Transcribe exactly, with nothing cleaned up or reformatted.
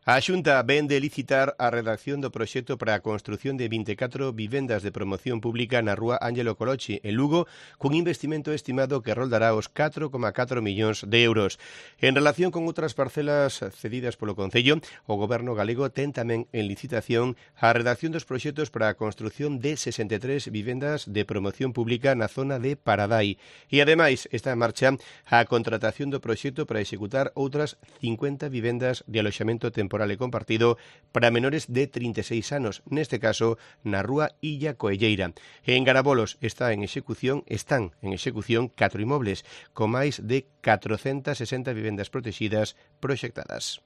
A Xunta ven de licitar a redacción do proxecto para a construción de vinte e catro vivendas de promoción pública na rúa Ángelo Colochi, en Lugo, cun investimento estimado que roldará os catro coma catro millóns de euros. En relación con outras parcelas cedidas polo Concello, o Goberno galego ten tamén en licitación a redacción dos proxectos para a construción de sesenta e tres vivendas de promoción pública na zona de Paradai. E, ademais, está en marcha a contratación do proxecto para executar outras cincuenta vivendas de aloxamento temporal e compartido para menores de trinta e seis anos, neste caso na rúa Illa Coelleira. En Garabolos está en execución, están en execución catro inmobles, con máis de catrocentas sesenta vivendas protegidas proxectadas.